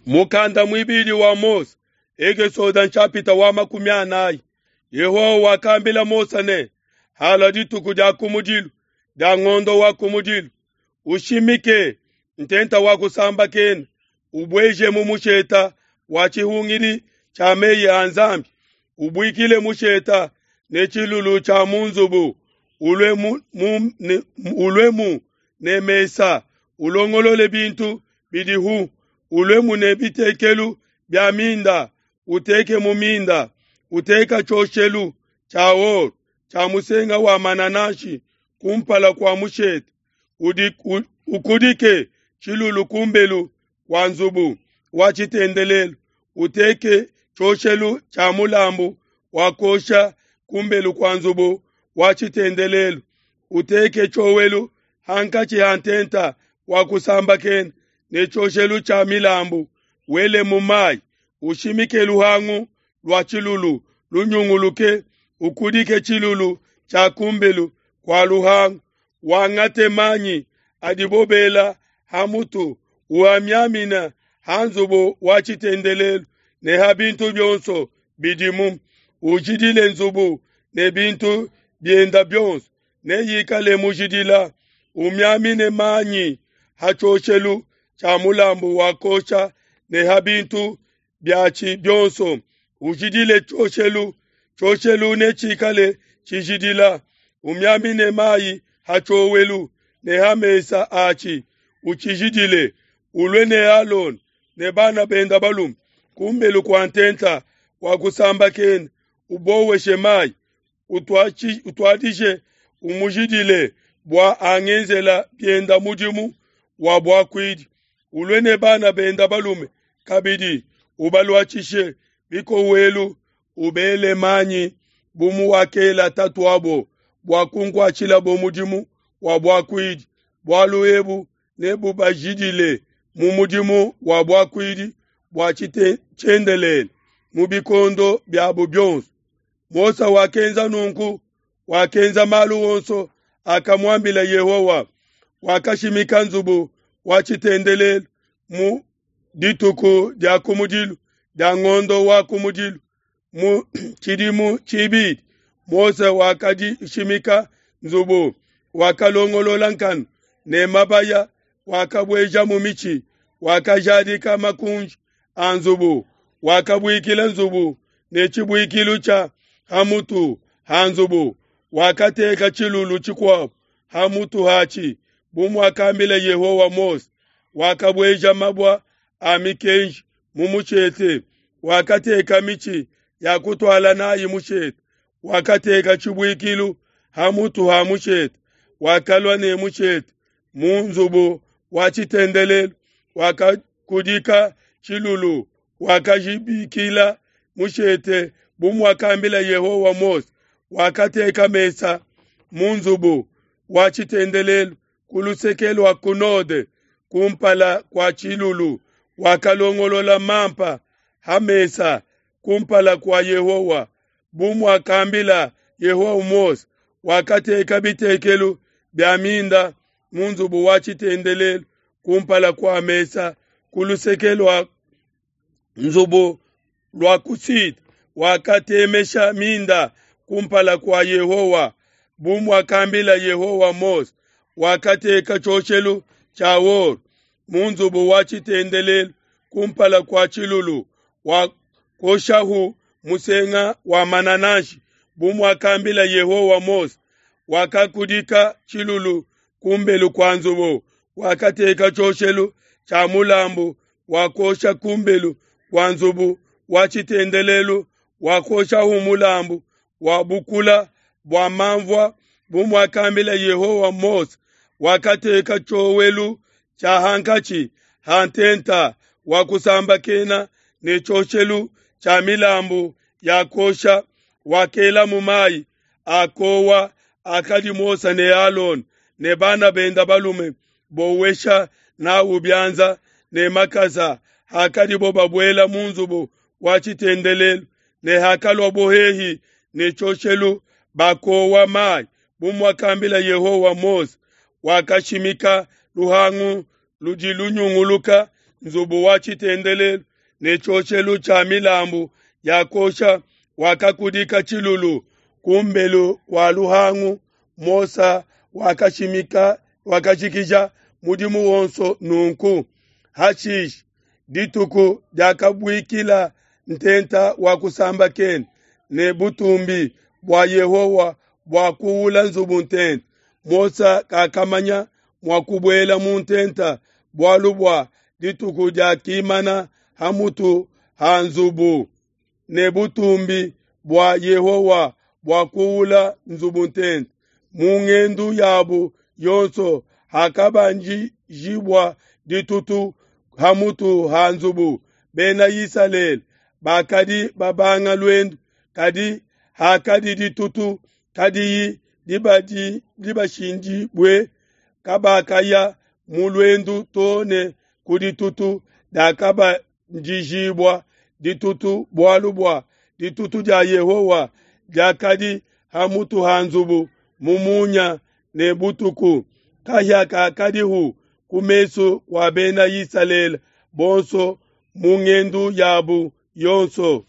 Mukanda muibidi wa Mose, Ekesode nshapita wa 40. Yehowa wakambila Mose ne, Halua dituku dia kumudilu dia ngondo wa kumudilu, ushimike ntenta wa kusambakena, ubueje mu musheta wa tshihungidi tshia meyi a Nzambi, ubuikile musheta ne tshilulu tshia mu nzubu, uluemu ne mesa, ulongolole bintu bidihu, uluemu ne bitekelu bia minda, uteke mu minda, uteka tshioshelu tshia or tshia musenga wa manananshi kumpala kua mushete, ukudike tshilulu kumbelu kua nzubu wa tshitendelelu, uteke tshioshelu tshia mulambu wa kuosha kumbelu kua nzubu wa tshitendelelu, uteke tshiowelu hankatshi ha ntenta wa kusambakena ne tshioshelu tshia milambu, wele mu mayi, ushimike luhangu lua tshilulu lunyunguluke, ukudike tshilulu tshia kumbelu kua luhangu, wangate manyi adibo bela ha mutu, uamiamina ha nzubu wa tshitendelelu ne ha bintu bionso bidimu, ujidile nzubu ne bintu bienda bionso, neyikale mujidila, umiamine manyi ha tshioshelu tshia mulambu wa kuosha ne ha bintu biatshi bionso, ujidile tshioshelu, tshioshelu netshikale tshijidila, umiamine mayi ha tshiowelu ne ha mesa atshi, utshijidile, ulue ne Alona ne bana benda balume kumbelu kua ntenta wa kusambakena, uboweshe mayi, utuadije umujidile bua angenzela bienda mudimu wa buakuidi, ulue ne bana benda balume kabidi, ubaluatshishe bikowelu, ubele manyi bu muwakela tatuabo bua kunkuatshilabo mudimu wa buakuidi. Bualu ebu nebubajidile mu mudimu wa buakuidi bua tshiendelele mu bikondo biabo bionso. Mose wakenza nunku, wakenza malu onso akamuambila Yehowa. Wakashimika nzubu wa tshitendelelu mu dituku dia kumudilu dia ngondo wa kumudilu mu tshidimu tshibidi. Mose wakadishimika nzubu, wakalongolola nkanu ne mabaya, wakabuejamu mitshi, wakajadika makunji a nzubu, wakabuikila nzubu ne tshibuikilu tshia ha mutu ha nzubu, wakateka tshilulu tshikuabo ha mutu hatshi, bu muakambila Yehowa Mose. Wakabueja mabua a mikenji mu mushete, wakateka mitshi ya kutuala nayi mushete, wakateka tshibuikilu ha mutu ha mushete, wakalua ne mushete mu nzubu wa tshitendelelu, wakakudika tshilulu, wakajibikila mushete bu muakambila Yehowa Mose. Wakateka mesa mu nzubu wa tshitendelelu ku luseke lua ku node kumpala kua tshilulu, wakalongolola mampa ha mesa kumpala kua Yehowa bu muakambila Yehowa Mose. Wakateka bitekelu bia minda mu nzubu wa tshitendelelu kumpala kua mesa ku luseke lua nzubu lua ku sud, wakatemesha minda kumpala kua Yehowa bu muakambila Yehowa Mose. Wakateka tshioshelu tshia or mu nzubu wa tshitendelelu kumpala kua tshilulu, wakoshahu musenga wa manananshi bu muakambila Yehowa Mose. Wakakudika tshilulu kumbelu kua nzubu, wakateka tshioshelu tshia mulambu wa kuosha kumbelu kua nzubu wa tshitendelelu, wakoshahu mulambu wa bukula bua manvua bu muakambila Yehowa Mose. Wakateka tshiowelu tshia hankatshi ha ntenta wa kusambakena ne tshioshelu tshia milambu ya kuosha, wakelamu mayi a kowa akadi Mose ne Alona ne bana benda balume bowesha nawu bianza ne makasa hakadibo babuela mu nzubu wa tshitendelelu, ne hakaluabo hehi ne tshioshelu bakowa mayi bu muakambila Yehowa Mose. Wakashimika luhangu ludi lunyunguluka nzubu wa tshitendelelu ne tshioshelu tshia milambu ya kuosha, wakakudika tshilulu ku mbelu kua luhangu. Mose wakashimika wakajikija mudimu wonso nunku. Hashishe dituku diakabuikila ntenta wa kusambakena ne butumbi bua Yehowa buakuwula nzubu ntenta. Mose kakamanya mua kubuela mu ntenta bualu bua dituku diakimana ha mutu ha nzubu, ne butumbi bua Yehowa buakuwula nzubu ntenta. Mu ngendu yabu yonso hakabanjijibua ditutu ha mutu ha nzubu, Bena Isalele bakadi babanga luendu, kadi hakadi ditutu kadiyi dibashindibue, kabakaya mu luendu too ne ku ditutu diakabanjijibua ditutu, bualu bua ditutu dia Yehowa diakadi ha mutu ha nzubu mu munya ne butuku. Kahia kakadihu ku mesu kua Bena Isalele bonso mu ngendu yabu yonso.